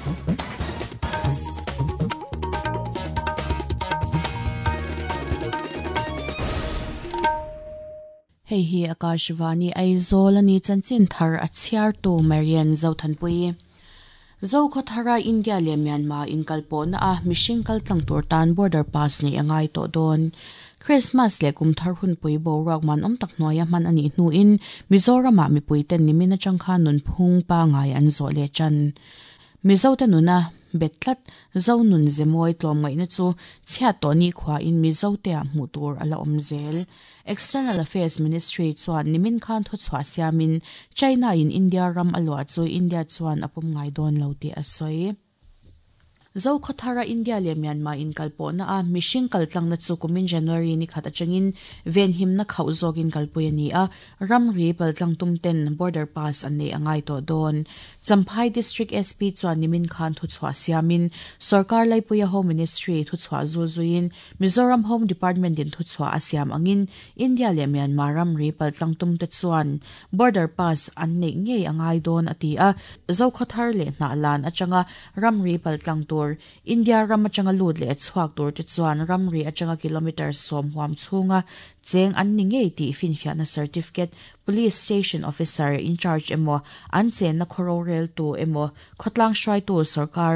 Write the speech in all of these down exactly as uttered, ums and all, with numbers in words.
Hei hi Akashvani Aizawl ani chanchin thar a chhiar tu Marian Zothanpui. Zokhathara India le Myanmar inkalpawh na a mihring kaltlang tur tan border pass nei angai tawh dawn. Christmas le kumthar hunpui boruak man awm tak hnuaia hman anih hnuin Mizoram ah mipui ten nimin atang khan nunphung pangai an zawh leh chan. Mizo te nuna betlat zo nun zemawi tlawm ngaihna chu chhiat tawh ni khua in Mizo te ah hmuh tur ala awm zel. External Affairs Ministry chuan nimin khan thu chhuah siamin China in India ram a luah chu India chuan a pawm ngai dawn lo tih a sawi. Zokhathara India le Myanmar inkalpawh na a mihring kaltlang na chu kumin January ni khat atangin venhim na khauh zawkin kalpui ani a ramri paltlang tum ten border pass an nei angai tawh dawn. Champhai District S P chuan nimin khan thu chhuah siamin Sarkar Laipuia Home Ministry thu chhuah zul zuiin Mizoram Home Department in thu chhuah a siam angin India le Myanmar ramri paltlang tum te chuan border pass an nei ngei angai dawn ati a Zokhathar le Hnahlan atanga ramri paltlang tur India ram atanga lut le chhuak tur te chuan ramri atanga kilometer som huam chhunga cheng an ni ngei tih finfiahna certificate police station officer in charge emaw an chen na khoro rel tu emaw khawtlang hruai tu sarkar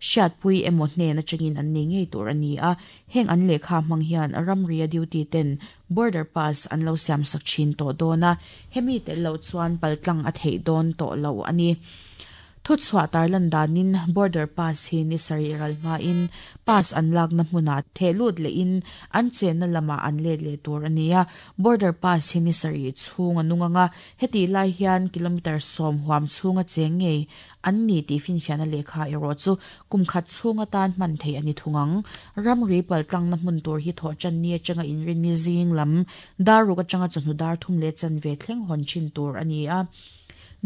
hriatpui emaw hnen atangin an nei ngei tur ani a heng an lehkha hmang hian ramri a duty ten border pass an lo siam sak thin tawh dawn a hemi tel lo chuan paltlang a theih dawn tawh lo ani. Thu chhuah tarlan danin border pass hi ni sari ralma in pass an lak na hmuna thehlut le in an chen na lama an let le tur ania border pass hi ni sari chhung anunganga heti lai hian kilometer som huam chhunga cheng ngei an ni ti finfiahna lehkha erawh chu kum khat chhunga tan hman thei ani thungang ramri paltlang na hmun tur hi thawh chan ni atanga inrin ni zing lam daruk atanga chawhnu dar thum le chan ve thleng hawn thin tur ani a.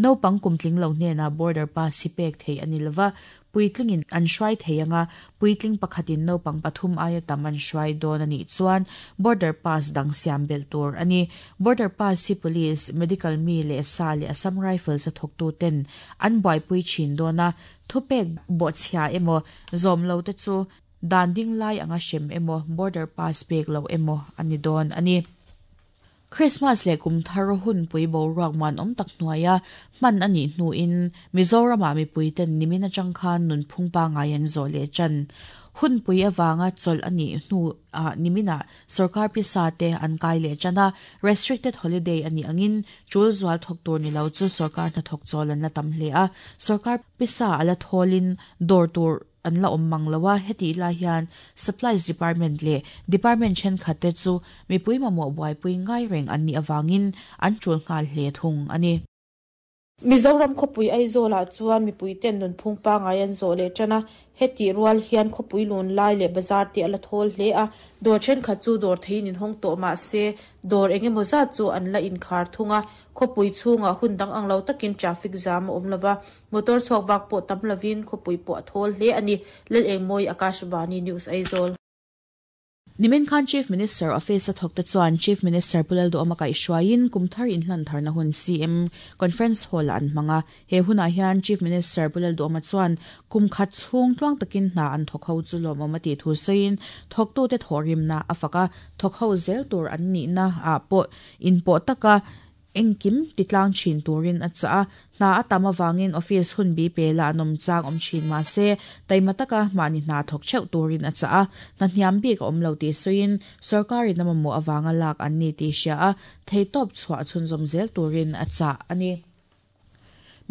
No pang kumtling lo hnena border pass hi pek thei ani lova puitlingin an hruai thei anga puitling pakhatin no pang pathum aia tam an hruai dawn ani chuan border pass dang siam bel tur ani. Border pass hi police medical mi le sa le Assam Rifles a thawktu ten an buaipui thin dawna thupek bawhchhia emaw zawm lo te chu dan ding lai anga hrem emaw border pass pek lo emaw ani dawn ani. Christmas le kumthar hunpui boruak man awm tak hnuaia hman ani hnuin Mizoram ah mipui ten nimin atang khan nunphung pangai an zawh leh chan. Hunpui awanga chawlh ani hnu a nimina sarkar pisa te an kai leh chana restricted holiday ani angin chul zual thawk tur ni lo chu sarkar hnathawk chawl an la tam hle a sarkar pisa ala tholin dawr tur an la awm mang loa heti lai hian supplies department le department thenkhat te chu mipui mamawh buaipui ngai reng an nih awangin an tul nghal hle thung ani. Mizoram khawpui Aizawl ah chuan mipui ten nunphung pangai an zawh leh tana heti rual hian khawpui lun lai leh bazar te ala thawl hle a dawr thenkhat chu dawr theiin in hawng tawh mah se dawr engemaw zat chu an la inkhar thunga khawpui chhungah hun dang ang lo takin traffic jam a awm lova motor chhuak vak pawh tam lovin khawpui pawh a thawl hle ani. Lal Engmawi Akashvani News Aizawl. Nimin khan Chief Minister Office a thawk te chuan Chief Minister Pulal Duhoma kaihhruaiin kumthar inhlan tharna hun C M Conference Hall an hmanga he hunah hian Chief Minister Pulal Duhoma chuan kum khat chhung tluang takin hna an thawk ho chu lawmawm a tih thu sawiin thawktu te thawhrimna a faka thawk ho zel tur an nihna ah pawh inpawh taka engkim titlang thin turin a cha a hna a tam awangin office hun bi pe la anom chang awm thin ma se taima taka mahni hna thawk theuh turin a cha a hna hniam bik a awm lo tih sawiin sarkarin a mamawh awanga lak an ni tih hria a theitawp chhuah chhunzawm zel turin a cha ani.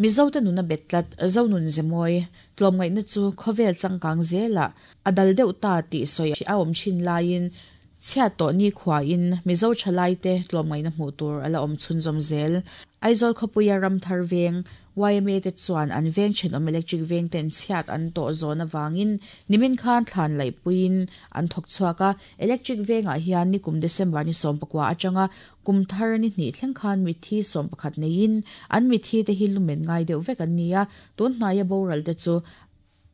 Mizo te nuna betlat zo nun zemawi tlawm ngaihna chu khawvel changkang zela a dal deuh ta tih sawi a awm thin laiin chhiat tawh ni khua in Mizo thalai te tlawm ngaihna hmuh tur ala awm chhunzawm zel. Aizawl khawpuia ramthar veng Y M A te chuan an veng thenawm electric veng ten chhiat an tawh zawn awangin nimin khan thlan laihpuiin an thawk chhuak a electric vengah hian nikum December ni sawm pakua atanga kumthar ni hnih thleng khan mithi sawm pakhat neiin an mithi te hi lumen ngai deuh vek an ni a tun hnaia boral te chu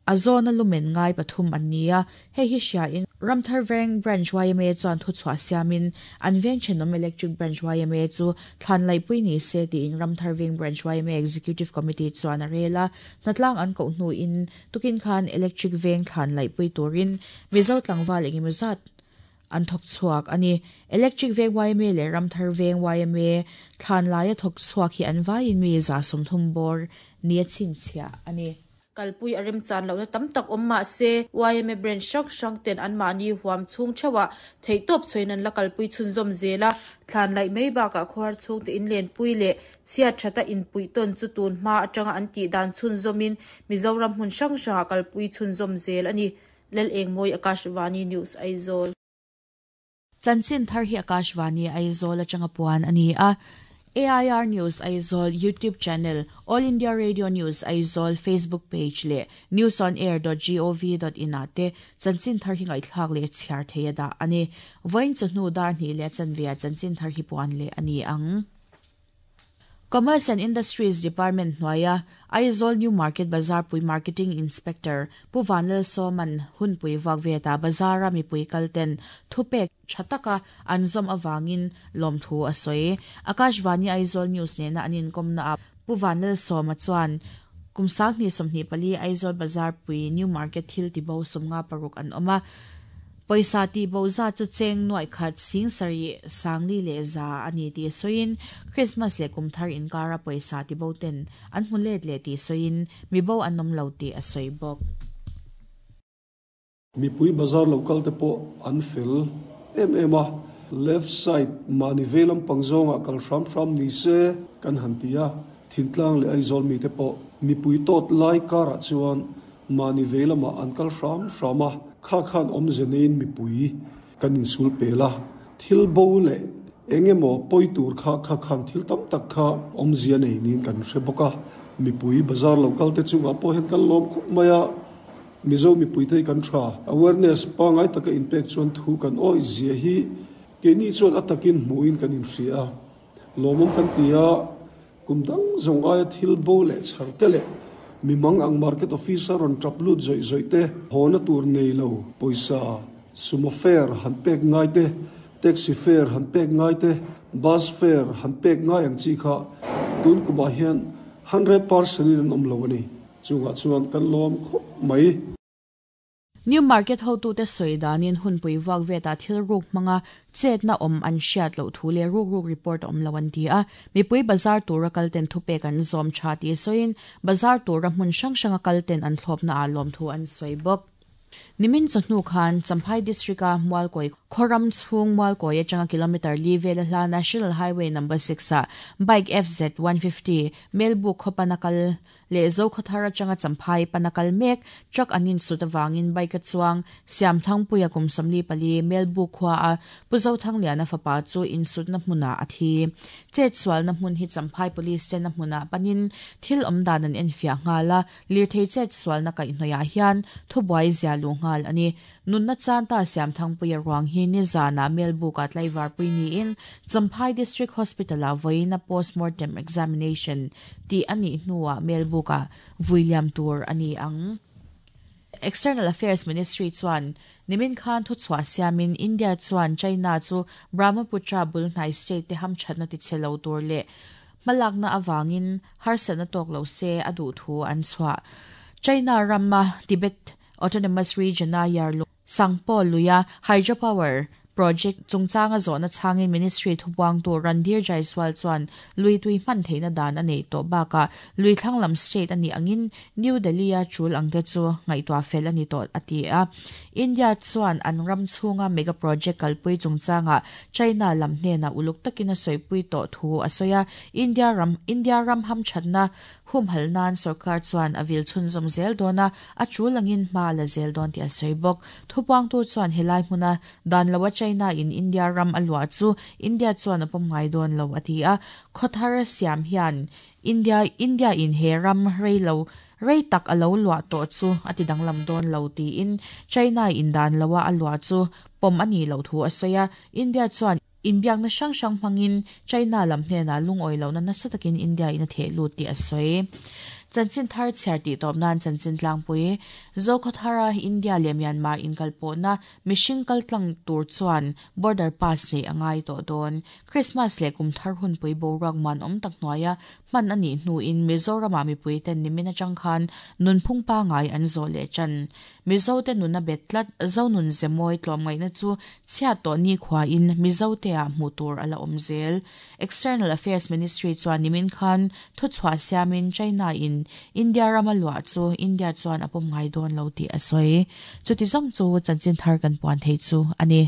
A zona lumen ngai pathum an nia hei hi hria in Ramthar Veng Branch Y M A chuan thu chhuah siamin an veng thenawm Electric Branch Y M A chu thlan laipui ni se tiin Ramthar Veng Branch Y M A Executive Committee chuan a rela hnatlang an koh hnu in tukin khan Electric Veng thlan laipui turin Mizo tlangval engemaw zat an thok chuak ani Electric Veng Y M A le Ramthar Veng Y M A thlan laia thok chuak hi an vaiin mi za sawmthum bawr nia chhinchhiah ani. Kalpui arem chan lo na tam tak awm mah se Y M A branch hrang hrang ten an mahni huam chhung theuhah theihtawp chhuain an la kalpui chhunzawm zela thlan laih mai bakah khawhar chhung te in lenpui leh chhiat thata inpui tawn chu tun hma atanga an tih dan chhunzawmin Mizoram hmun hrang hrangah kalpui chhunzawm zel ani. Lal Engmawi, Akashvani News, Aizawl. Chanchin thar hi Akashvani Aizawl atanga puan ani a. A I R News Aizawl YouTube channel, All India Radio News Aizawl Facebook page le news on air dot gov dot in ate chanchin thar hi ngaithlak le chhiar theia da ani. Voin chawhnu dar hnih leh chanvia chanchin thar hi puan le ani ang. Commerce and Industries Department hnuaia Aizawl New Market Bazar Pui Marketing Inspector Pu Vanlal Sawman hunpui vak veta bazara mipui kalten thupek thataka anzawm awangin lawmthu a sawi. Akashvani Aizawl News nena anin komna a Pu Vanlal Sawma chuan kumsak ni sawmhnih pali Aizawl Bazar Pui New Market thil tibo sawmnga paruk an awma. Poisa ti bo za chu cheng nuai khat sing sari sangli le za ani ti soin Christmas le kumthar inkara poisa ti bo ten an hmulet le ti soin mi bo anom lo ti a soi bok. Mi pui bazar local te po an fel em em a left side mani velam pangzonga kal hram hram ni se kan hantia thintlang le Aizawl mi te po mi pui tot lai kara chuan mani velama an kal hram hrama kha khan om zenin mi pui kan in sul pela thil bo le engemaw poi tur kha kha khan thil tam tak kha om zia nei nin kan hre boka mi pui bazar local te chunga po hen kan lom khup maya Mizo mi pui thei kan tha awareness pangai taka in pek chuan thu kan oi zia hi ke ni chuan atakin hmuin kan in hria lomom kan tia kumdang zong aia thil bo le chhar te le mi mang ang market officer on traplut zoi zoi te hona tur nei lo poisa sumo fare han pek ngai te taxi fare han pek ngai te bus fare han pek ngai ang chi kha tun kuma hian hundred percent in om lo ani chunga chuan kan lom khop mai. New Market ho tu te soidanin hunpui wak veta thil ruk manga chet na om an hriat lo thu le ruk ruk report om lo an ti a mipui bazar tura kalten thupe kan zom tha ti soin bazar tura hmun hrang hranga kalten an thlop na a lom thu an soi bok. Nimin chawhnu khan Champhai District a Mualkawi Khoram chhung Mualkawi atanga kilometer li vel hla National Highway number six a bike F Z one fifty Melbu khopanakal le Zokhawthar atanga Champhai panakal mek truck anin sut awangin bike a chuang Siam Thangpuia kum sawmli pali Melbu khua a Puzo Thangliana fapa chu insut na hmuna a thi. Chet sual na hmun hi Champhai Police te na hmuna panin thil awm dan an enfiah nghala lirthei chet sual na kaihhnawih hian thubuai zia lu ngal ani. Nunna chan ta Siam Thangpuia ruang hi ni zana Melbu ka tlaivar pui ni in Champhai District Hospital a voina postmortem examination ti ani hnuwa Melbu ka William Tur ani ang. External Affairs Ministry chuan nimin khan thu chhuah siamin India chuan China chu Brahmaputra bulhnai state te hamthatna ti chhelo tur le hmalakna awangin harsatna tawk lo se a duh thu an chhuah. China ramma Tibet Autonomous Region a Yarlu Sangpo Luya Hydropower Project chungchanga zawhna changin Ministry thubuang tu Randhir Jaiswal chuan lui tui hman theihna dan a nei tawh bakah lui thlanglam state ani angin New Delhi a chul ang te chu ngaihtuah fel ani tawh a ti a. India chuan an ram chhunga mega project kalpui chungchanga China lam hnena uluk takin a sawipui tawh thu a sawi a. India ram India ram hamthatna humhal nan sarkar chuan a vil chhunzawm zel dawna a chul angin hma la zel dawn tih a sawi bawk. Thupuang tu chuan helai hmuna dan loa China in India ram a luah chu India chuan a pawm ngai dawn lo a ti a. Khawthar siam hian India India in he ram rei lo rei tak a lo luah tawh chu a ti danglam dawn lo tiin China in dan loa a luah chu pawm ani lo thu a sawi a. India chuan inbiakna hrang hrang hmangin China lam hnena lungawi lohna nasa takin India in a theh lut tih a sawi. Chanchin thar chhiar tih tawp nan chanchin tlangpui Zokhawthara India leh Myanmar inkalpawh na mihring kaltlang tur chuan border pass nei angai tawh dawn. Christmas leh kum thar hunpui boruak man awm tak hnuaia hman ani hnu in Mizoram ah mipui ten nimin atang khan nunphung pangai an zawh leh chan. Mizo te nuna bet tlat zonun zemawi tlawmngaihna chu chhiat tawh ni khua in Mizo te ah hmuh tur ala awm zel. External Affairs Ministry chuan nimin khan thu chhuah siamin China in India rama luah chu India chuan a pawm ngai dawn lo tih a sawi. Chuti zawng chu chanchin thar kan puan thei chu ani.